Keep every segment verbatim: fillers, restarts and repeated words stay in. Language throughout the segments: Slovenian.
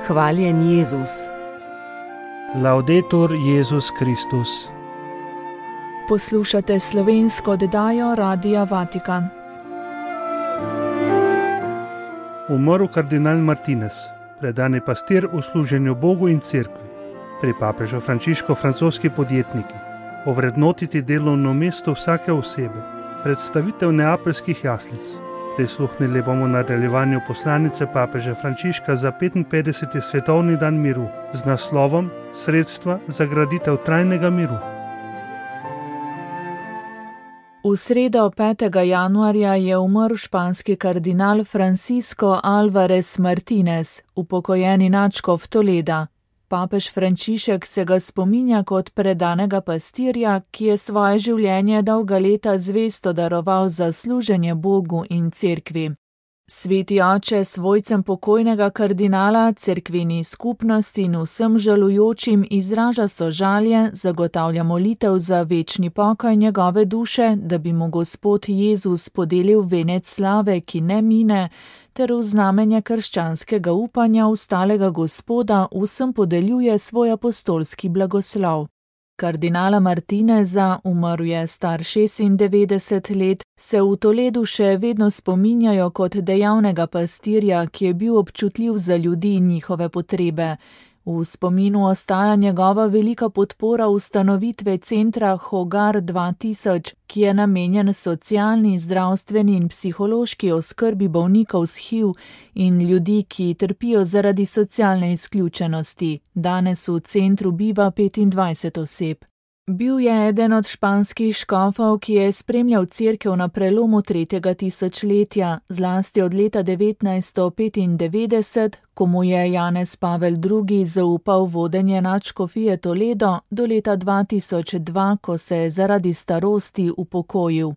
Hvaljen Jezus. Laudetur Jezus Kristus. Poslušate slovensko oddajo Radia Vatikan. Umrl kardinal Martinez, predani pastir v služenju Bogu in cerkvi. Pri papežu Frančišku francoski podjetniki. Ovrednotiti delovno mesto vsake osebe. Predstavitev neapeljskih jaslic. Prisluhnili bomo nadaljevanju poslanice papeža Frančiška za petinpetdeseti svetovni dan miru z naslovom Sredstva za graditev trajnega miru. V sredo petega januarja je umrl španski kardinal Francisco Álvarez Martínez, upokojeni nadškof Toleda. Papež Frančišek se ga spominja kot predanega pastirja, ki je svoje življenje dolga leta zvesto daroval za služenje Bogu in cerkvi. Sveti oče svojcem pokojnega kardinala, cerkveni skupnosti in vsem žalujočim izraža sožalje, zagotavlja molitev za večni pokoj njegove duše, da bi mu Gospod Jezus podelil venec slave, ki ne mine, ter v znamenje krščanskega upanja ustalega Gospoda vsem podeljuje svoj apostolski blagoslov. Kardinala Martineza, umrl je star šestindevetdeset let, se v Toledu še vedno spominjajo kot dejavnega pastirja, ki je bil občutljiv za ljudi in njihove potrebe. V spominu ostaja njegova velika podpora ustanovitve centra Hogar dva tisoč, ki je namenjen socialni, zdravstveni in psihološki oskrbi bolnikov s H I V in ljudi, ki trpijo zaradi socialne izključenosti. Danes v centru biva petindvajset oseb. Bil je eden od španskih škofov, ki je spremljal cerkev na prelomu tretjega tisočletja, zlasti od leta devetnajststo petindevetdeset, ko mu je Janez Pavel drugi zaupal vodenje nadškofije Toledo, do leta dva tisoč dva, ko se je zaradi starosti upokojil.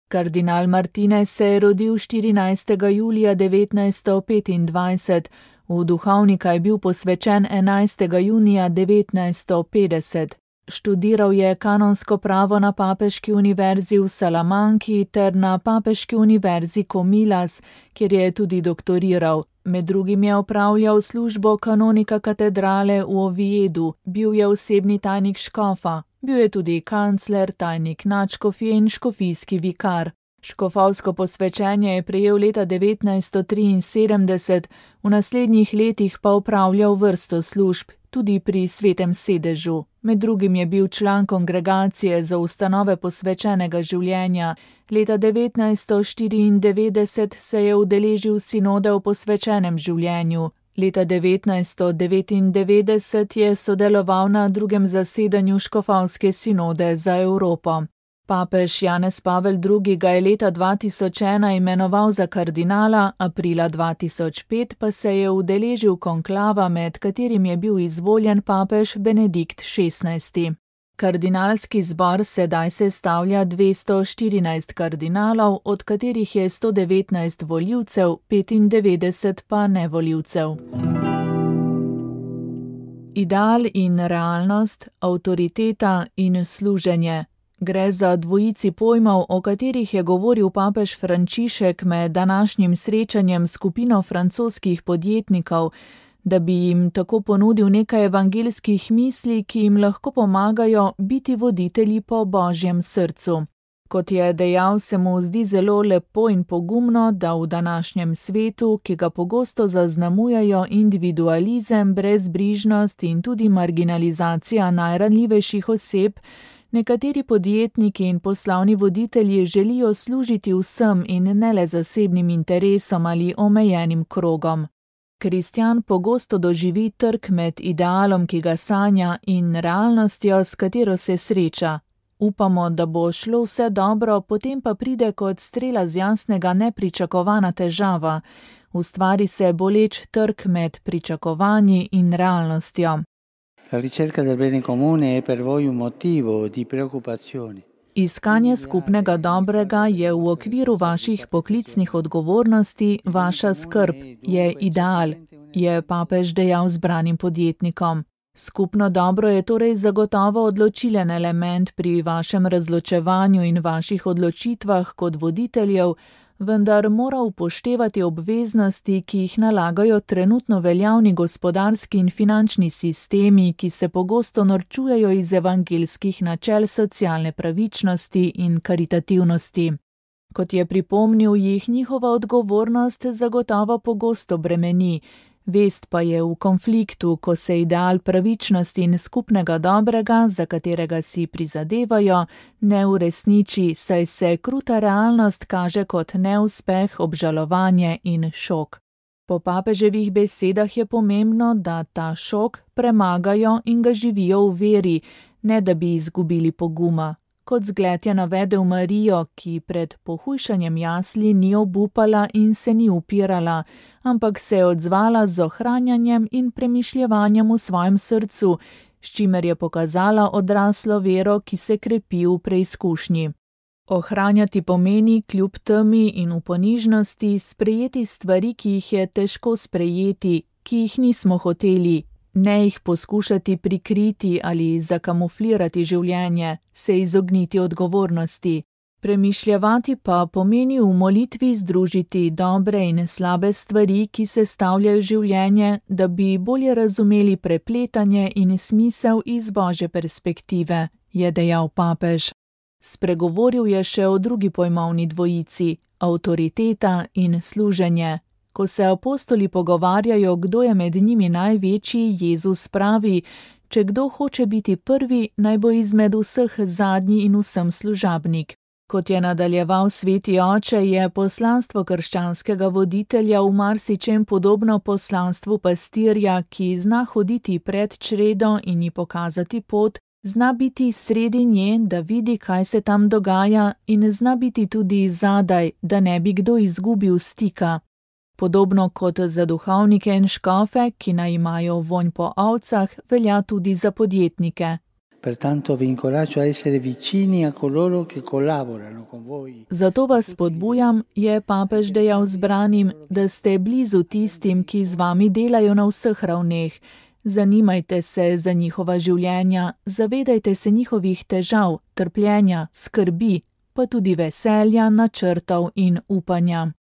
Kardinal Martinez se je rodil štirinajstega julija devetnajststo petindvajset, v duhovnika je bil posvečen enajstega junija devetnajststo petdeset. Študiral je kanonsko pravo na Papeški univerzi v Salamanki ter na Papeški univerzi Comillas, kjer je tudi doktoriral. Med drugim je opravljal službo kanonika katedrale v Oviedu, bil je osebni tajnik škofa, bil je tudi kancler, tajnik nadškofije in škofijski vikar. Škofovsko posvečenje je prejel leta devetnajststo triinsedemdeset, v naslednjih letih pa opravljal vrsto služb, tudi pri Svetem sedežu. Med drugim je bil član kongregacije za ustanove posvečenega življenja. Leta devetnajststo štiriindevetdeset se je udeležil sinode o posvečenem življenju. Leta devetnajststo devetindevetdeset je sodeloval na drugem zasedanju škofovske sinode za Evropo. Papež Janez Pavel drugi ga je leta dva tisoč ena imenoval za kardinala, aprila dva tisoč pet pa se je udeležil konklava, med katerim je bil izvoljen papež Benedikt šestnajsti. Kardinalski zbor sedaj sestavlja dvesto štirinajst kardinalov, od katerih je sto devetnajst volivcev, petindevetdeset pa nevolivcev. Ideal in realnost, avtoriteta in služenje. Gre za dvojici pojmov, o katerih je govoril papež Frančišek med današnjim srečanjem s skupino francoskih podjetnikov, da bi jim tako ponudil nekaj evangeljskih misli, ki jim lahko pomagajo biti voditelji po Božjem srcu. Kot je dejal, se mu zdi zelo lepo in pogumno, da v današnjem svetu, ki ga pogosto zaznamujejo individualizem, brezbrižnost in tudi marginalizacija najranljivejših oseb, nekateri podjetniki in poslovni voditelji želijo služiti vsem in ne le zasebnim interesom ali omejenim krogom. Kristjan pogosto doživi trk med idealom, ki ga sanja, in realnostjo, s katero se sreča. Upamo, da bo šlo vse dobro, potem pa pride kot strela z jasnega nepričakovana težava. Ustvari se boleč trk med pričakovanji in realnostjo. La ricerca del bene comune è per voi un motivo di preoccupazione. Iskanje skupnega dobrega je v okviru vaših poklicnih odgovornosti vaša skrb, je ideal, je papež dejal zbranim podjetnikom. Skupno dobro je torej zagotovo odločilen element pri vašem razločevanju in vaših odločitvah kot voditeljev, vendar mora upoštevati obveznosti, ki jih nalagajo trenutno veljavni gospodarski in finančni sistemi, ki se pogosto norčujejo iz evangeljskih načel socialne pravičnosti in karitativnosti. Kot je pripomnil, jih njihova odgovornost zagotovo pogosto bremeni, vest pa je v konfliktu, ko se ideal pravičnosti in skupnega dobrega, za katerega si prizadevajo, ne uresniči, saj se kruta realnost kaže kot neuspeh, obžalovanje in šok. Po papeževih besedah je pomembno, da ta šok premagajo in ga živijo v veri, ne da bi izgubili poguma. Kot zgled je navedel Marijo, ki pred pohujšanjem jasli ni obupala in se ni upirala, ampak se je odzvala z ohranjanjem in premišljevanjem v svojem srcu, s čimer je pokazala odraslo vero, ki se krepi v preizkušnji. Ohranjati pomeni kljub temi in v ponižnosti sprejeti stvari, ki jih je težko sprejeti, ki jih nismo hoteli, ne jih poskušati prikriti ali zakamuflirati življenje, se izogniti odgovornosti. Premišljevati pa pomeni v molitvi združiti dobre in slabe stvari, ki sestavljajo življenje, da bi bolje razumeli prepletanje in smisel iz Božje perspektive, je dejal papež. Spregovoril je še o drugi pojmovni dvojici, avtoriteta in služenje. Ko se apostoli pogovarjajo, kdo je med njimi največji, Jezus pravi, če kdo hoče biti prvi, naj bo izmed vseh zadnji in vsem služabnik. Kot je nadaljeval sveti oče, je poslanstvo krščanskega voditelja v marsičem podobno poslanstvu pastirja, ki zna hoditi pred čredo in ji pokazati pot, zna biti sredi nje, da vidi, kaj se tam dogaja, in zna biti tudi zadaj, da ne bi kdo izgubil stika. Podobno kot za duhovnike in škofe, ki naj imajo vonj po ovcah, velja tudi za podjetnike. Pertanto vi incoraggio a essere vicini a coloro che collaborano con voi. Zato vas spodbujam, je papež dejal zbranim, da ste blizu tistim, ki z vami delajo na vseh ravneh. Zanimajte se za njihova življenja, zavedajte se njihovih težav, trpljenja, skrbi, pa tudi veselja, načrtov in upanja.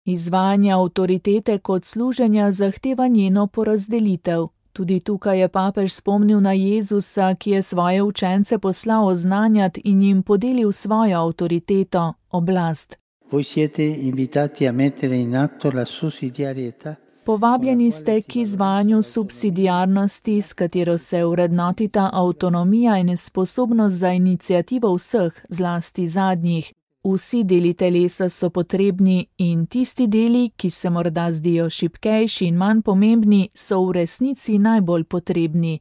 Izvajanje avtoritete kot služenja zahteva njeno porazdelitev. Tudi tukaj je papež spomnil na Jezusa, ki je svoje učence poslal oznanjati in jim podelil svojo avtoriteto, oblast. Voi siete invitati a mettere in atto la sussidiarietà. Povabljeni ste k izvajanju subsidiarnosti, s katero se vrednotita avtonomija in sposobnost za iniciativo vseh, zlasti zadnjih. Vsi deli telesa so potrebni in tisti deli, ki se morda zdijo šibkejši in manj pomembni, so v resnici najbolj potrebni.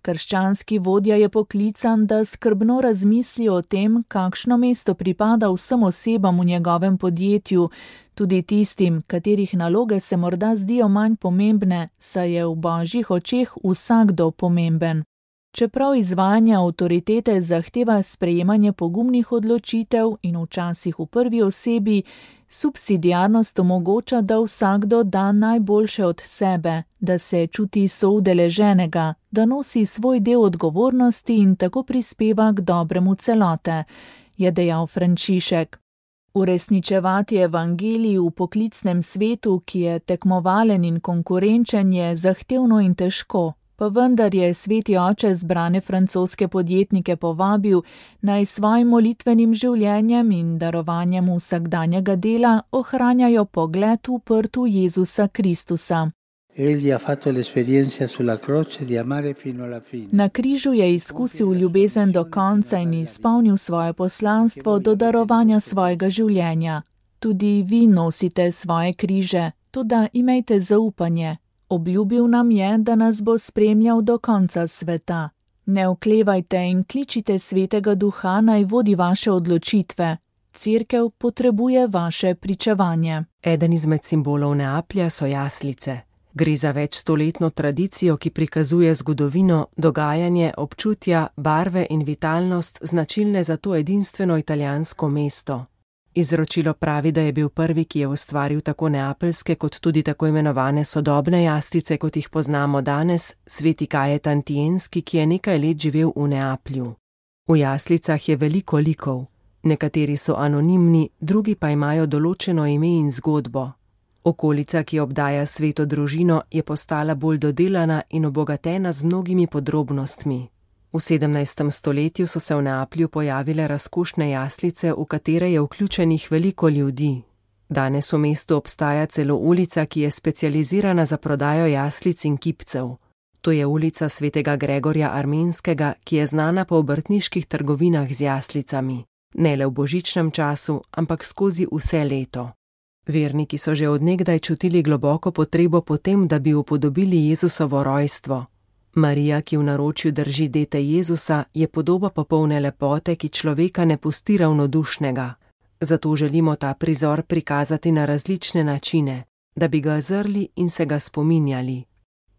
Krščanski vodja je poklican, da skrbno razmisli o tem, kakšno mesto pripada vsem osebam v njegovem podjetju, tudi tistim, katerih naloge se morda zdijo manj pomembne, saj je v Božjih očeh vsakdo pomemben. Čeprav izvajanje avtoritete zahteva sprejemanje pogumnih odločitev in včasih v prvi osebi, subsidiarnost omogoča, da vsakdo da najboljše od sebe, da se čuti soudeleženega, da nosi svoj del odgovornosti in tako prispeva k dobremu celote, je dejal Frančišek. Uresničevati evangelij v poklicnem svetu, ki je tekmovalen in konkurenčen, je zahtevno in težko. Pa vendar je sveti oče zbrane francoske podjetnike povabil, naj svojim molitvenim življenjem in darovanjem vsakdanjega dela ohranjajo pogled uprt v Jezusa Kristusa. Na križu je izkusil ljubezen do konca in izpolnil svoje poslanstvo do darovanja svojega življenja. Tudi vi nosite svoje križe, toda imejte zaupanje. Obljubil nam je, da nas bo spremljal do konca sveta. Ne oklevajte in kličite svetega duha, naj vodi vaše odločitve. Cerkev potrebuje vaše pričevanje. Eden izmed simbolov Neaplja so jaslice. Gre za večstoletno tradicijo, ki prikazuje zgodovino, dogajanje, občutja, barve in vitalnost, značilne za to edinstveno italijansko mesto. Izročilo pravi, da je bil prvi, ki je ustvaril tako neapeljske kot tudi tako imenovane sodobne jaslice, kot jih poznamo danes, sveti Kajetan Tienski, ki je nekaj let živel v Neaplju. V jaslicah je veliko likov. Nekateri so anonimni, drugi pa imajo določeno ime in zgodbo. Okolica, ki obdaja sveto družino, je postala bolj dodelana in obogatena z mnogimi podrobnostmi. V sedemnajstem stoletju so se v Neaplju pojavile razkošne jaslice, v katere je vključenih veliko ljudi. Danes v mestu obstaja celo ulica, ki je specializirana za prodajo jaslic in kipcev. To je ulica svetega Gregorja Armenskega, ki je znana po obrtniških trgovinah z jaslicami. Ne le v božičnem času, ampak skozi vse leto. Verniki so že od nekdaj čutili globoko potrebo po tem, da bi upodobili Jezusovo rojstvo. Marija, ki v naročju drži dete Jezusa, je podoba popolne lepote, ki človeka ne pusti ravnodušnega. Zato želimo ta prizor prikazati na različne načine, da bi ga zrli in se ga spominjali.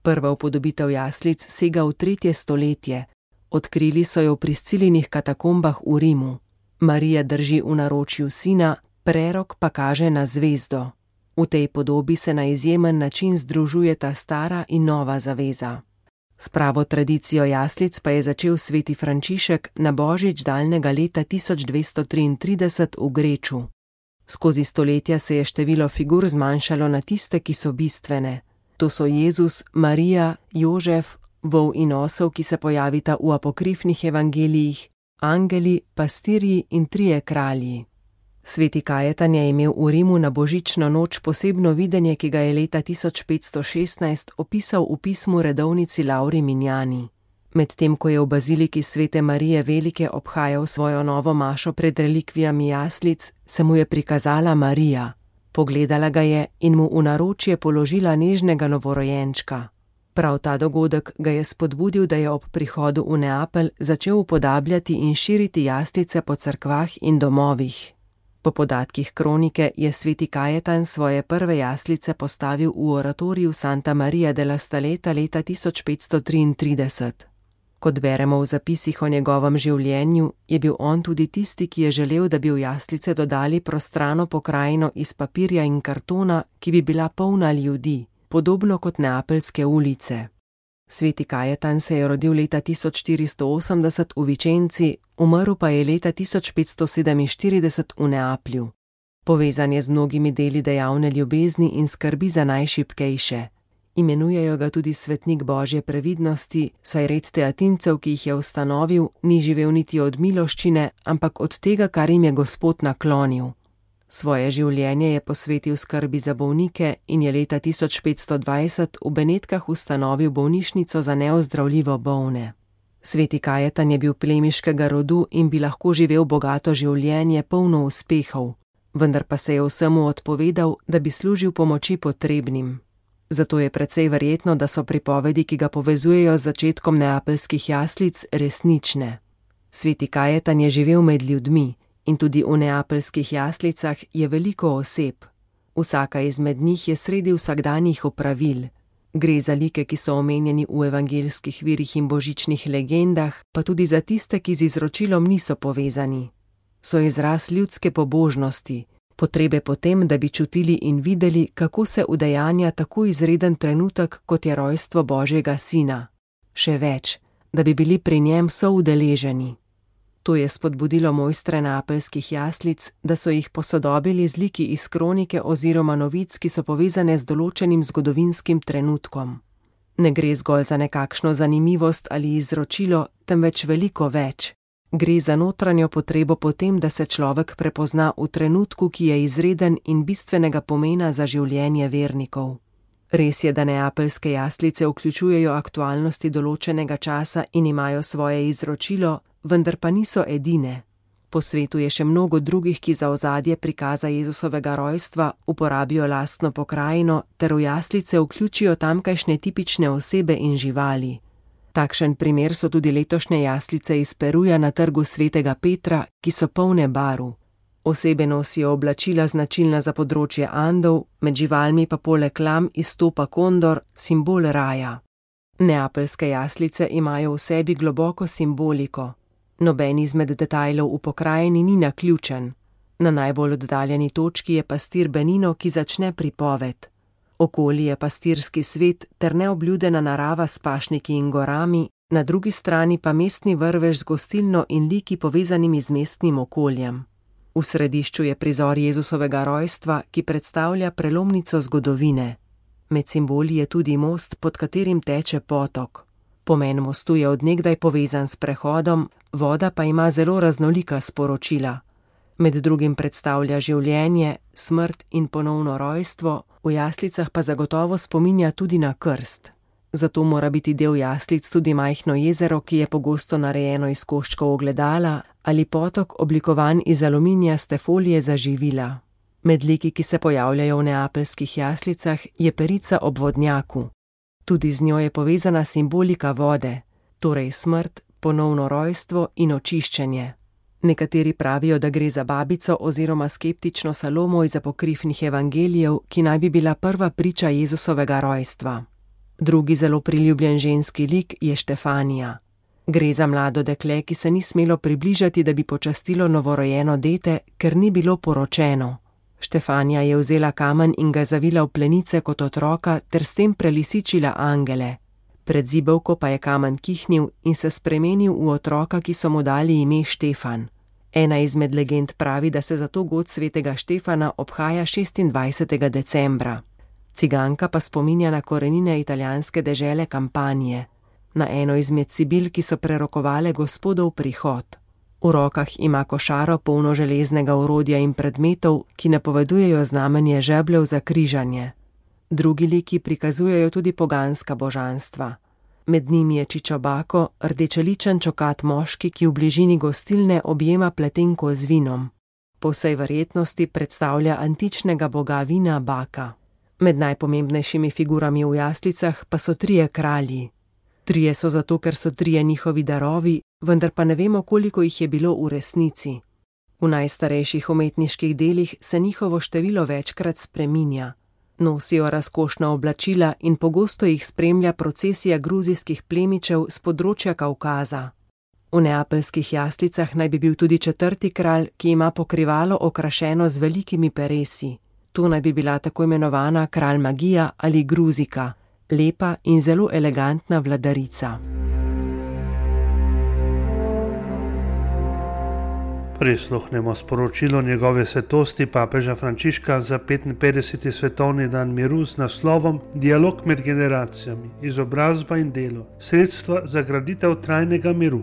Prva upodobitev jaslic sega v tretje stoletje. Odkrili so jo v Priscilinih katakombah v Rimu. Marija drži v naročju sina, prerok pa kaže na zvezdo. V tej podobi se na izjemen način združujeta stara in nova zaveza. S pravo tradicijo jaslic pa je začel sveti Frančišek na božič daljnega leta tisoč dvesto triintrideset v Greču. Skozi stoletja se je število figur zmanjšalo na tiste, ki so bistvene. To so Jezus, Marija, Jožef, vol in osel, ki se pojavita v apokrifnih evangelijih, angeli, pastirji in trije kralji. Sveti Kajetan je imel v Rimu na božično noč posebno videnje, ki ga je leta tisoč petsto šestnajst opisal v pismu redovnici Lauri Minjani. Medtem ko je v baziliki svete Marije Velike obhajal svojo novo mašo pred relikvijami jaslic, se mu je prikazala Marija. Pogledala ga je in mu v naročje položila nežnega novorojenčka. Prav ta dogodek ga je spodbudil, da je ob prihodu v Neapelj začel upodabljati in širiti jaslice po cerkvah in domovih. Po podatkih kronike je sveti Kajetan svoje prve jaslice postavil v oratoriju Santa Maria della Staleta leta tisoč petsto triintrideset. Kot beremo v zapisih o njegovem življenju, je bil on tudi tisti, ki je želel, da bi v jaslice dodali prostrano pokrajino iz papirja in kartona, ki bi bila polna ljudi, podobno kot neapeljske ulice. Sveti Kajetan se je rodil leta tisoč štiristo osemdeset v Vičenci, umrl pa je leta tisoč petsto sedeminštirideset v Neaplju. Povezan je z mnogimi deli dejavne ljubezni in skrbi za najšibkejše. Imenujejo ga tudi svetnik Božje previdnosti, saj red teatincev, ki jih je ustanovil, ni živel niti od miloščine, ampak od tega, kar jim je Gospod naklonil. Svoje življenje je posvetil skrbi za bolnike in je leta tisoč petsto dvajset v Benetkah ustanovil bolnišnico za neozdravljivo bolne. Sveti Kajetan je bil plemiškega rodu in bi lahko živel bogato življenje, polno uspehov, vendar pa se je vsemu odpovedal, da bi služil pomoči potrebnim. Zato je precej verjetno, da so pripovedi, ki ga povezujejo z začetkom neapeljskih jaslic, resnične. Sveti Kajetan je živel med ljudmi in tudi v neapeljskih jaslicah je veliko oseb. Vsaka izmed njih je sredi vsakdanjih opravil. Gre za like, ki so omenjeni v evangeljskih virih in božičnih legendah, pa tudi za tiste, ki z izročilom niso povezani. So izraz ljudske pobožnosti, potrebe po tem, da bi čutili in videli, kako se udejanja tako izreden trenutek, kot je rojstvo Božjega sina. Še več, da bi bili pri njem soudeleženi. To je spodbudilo mojstre neapeljskih jaslic, da so jih posodobili z liki iz kronike oziroma novic, ki so povezane z določenim zgodovinskim trenutkom. Ne gre zgolj za nekakšno zanimivost ali izročilo, temveč veliko več. Gre za notranjo potrebo po tem, da se človek prepozna v trenutku, ki je izreden in bistvenega pomena za življenje vernikov. Res je, da neapeljske jaslice vključujejo aktualnosti določenega časa in imajo svoje izročilo, vendar pa niso edine. Po svetu je še mnogo drugih, ki za ozadje prikaza Jezusovega rojstva uporabijo lastno pokrajino ter v jaslice vključijo tamkajšnje tipične osebe in živali. Takšen primer so tudi letošnje jaslice iz Peruja na trgu svetega Petra, ki so polne barv. Osebe nosijo oblačila značilna za področje Andov, med živalmi pa poleg lam izstopa kondor, simbol raja. Neapeljske jaslice imajo v sebi globoko simboliko. Noben izmed detajlov v pokrajini ni naključen. Na najbolj oddaljeni točki je pastir Benino, ki začne pripoved. Okoli je pastirski svet ter neobljudena narava s pašniki in gorami, na drugi strani pa mestni vrvež z gostilno in liki povezanimi z mestnim okoljem. V središču je prizor Jezusovega rojstva, ki predstavlja prelomnico zgodovine. Med simboli je tudi most, pod katerim teče potok. Pomen mostu je od nekdaj povezan s prehodom, voda pa ima zelo raznolika sporočila. Med drugim predstavlja življenje, smrt in ponovno rojstvo, v jaslicah pa zagotovo spominja tudi na krst. Zato mora biti del jaslic tudi majhno jezero, ki je pogosto narejeno iz koščkov ogledala, ali potok oblikovan iz aluminijaste folije za živila. Med liki, ki se pojavljajo v neapeljskih jaslicah, je perica ob vodnjaku. Tudi z njo je povezana simbolika vode, torej smrt, ponovno rojstvo in očiščenje. Nekateri pravijo, da gre za babico oziroma skeptično Salomo iz apokrifnih evangelijev, ki naj bi bila prva priča Jezusovega rojstva. Drugi zelo priljubljen ženski lik je Štefanija. Gre za mlado dekle, ki se ni smelo približati, da bi počastilo novorojeno dete, ker ni bilo poročeno. Štefanija je vzela kamen in ga zavila v plenice kot otroka ter s tem prelisičila angele. Pred zibelko pa je kamen kihnil in se spremenil v otroka, ki so mu dali ime Štefan. Ena izmed legend pravi, da se zato god svetega Štefana obhaja šestindvajsetega decembra. Ciganka pa spominja na korenine italijanske dežele Kampanije, na eno izmed sibil, ki so prerokovale Gospodov prihod. V rokah ima košaro polno železnega orodja in predmetov, ki napovedujejo znamenje žebljev za križanje. Drugi liki prikazujejo tudi poganska božanstva. Med njimi je Čičobako, rdečeličen čokat moški, ki v bližini gostilne objema pletenko z vinom. Po vsej verjetnosti predstavlja antičnega boga vina Baka. Med najpomembnejšimi figurami v jaslicah pa so trije kralji. Trije so zato, ker so trije njihovi darovi, vendar pa ne vemo, koliko jih je bilo v resnici. V najstarejših umetniških delih se njihovo število večkrat spreminja. Nosijo razkošna oblačila in pogosto jih spremlja procesija gruzijskih plemičev z področja Kavkaza. V neapeljskih jaslicah naj bi bil tudi četrti kralj, ki ima pokrivalo okrašeno z velikimi peresi. To naj bi bila tako imenovana kralj magija ali Gruzika, lepa in zelo elegantna vladarica. Prisluhnemo sporočilo njegove svetosti papeža Frančiška za petinpetdeseti svetovni dan miru z naslovom Dialog med generacijami, izobrazba in delo, sredstva za graditev trajnega miru.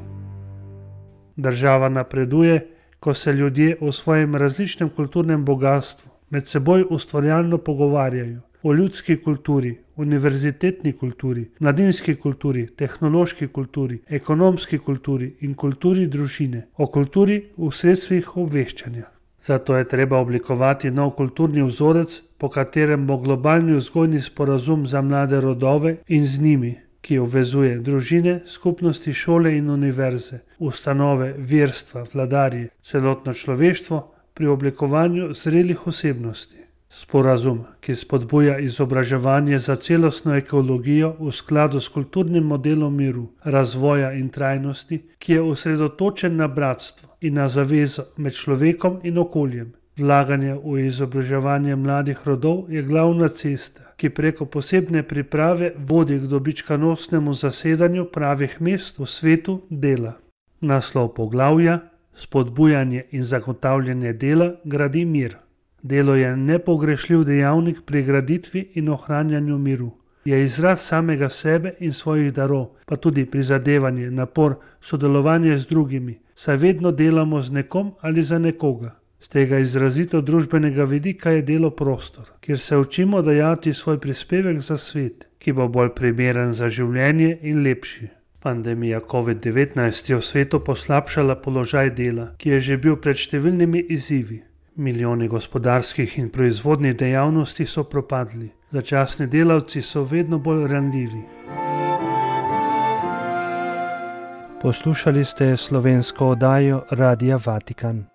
Država napreduje, ko se ljudje o svojem različnem kulturnem bogatstvu med seboj ustvarjalno pogovarjajo o ljudski kulturi, univerzitetni kulturi, mladinski kulturi, tehnološki kulturi, ekonomski kulturi in kulturi družine, o kulturi v sredstvih obveščanja. Zato je treba oblikovati nov kulturni vzorec, po katerem bo globalni vzgojni sporazum za mlade rodove in z njimi, ki obvezuje družine, skupnosti, šole in univerze, ustanove, verstva, vladarje, celotno človeštvo pri oblikovanju zrelih osebnosti. Sporazum, ki spodbuja izobraževanje za celostno ekologijo v skladu s kulturnim modelom miru, razvoja in trajnosti, ki je osredotočen na bratstvo in na zavezo med človekom in okoljem. Vlaganje v izobraževanje mladih rodov je glavna cesta, ki preko posebne priprave vodi k dobičkonosnemu zasedanju pravih mest v svetu dela. Naslov poglavja: Spodbujanje in zagotavljanje dela gradi mir. Delo je nepogrešljiv dejavnik pri graditvi in ohranjanju miru. Je izraz samega sebe in svojih darov, pa tudi prizadevanje, napor, sodelovanje z drugimi, saj vedno delamo z nekom ali za nekoga. Z tega izrazito družbenega vidika je delo prostor, kjer se učimo dajati svoj prispevek za svet, ki bo bolj primeren za življenje in lepši. Pandemija covid devetnajst je v svetu poslabšala položaj dela, ki je že bil pred številnimi izzivi. Milijoni gospodarskih in proizvodnih dejavnosti so propadli. Začasni delavci so vedno bolj ranljivi. Poslušali ste slovensko oddajo Radia Vatikan.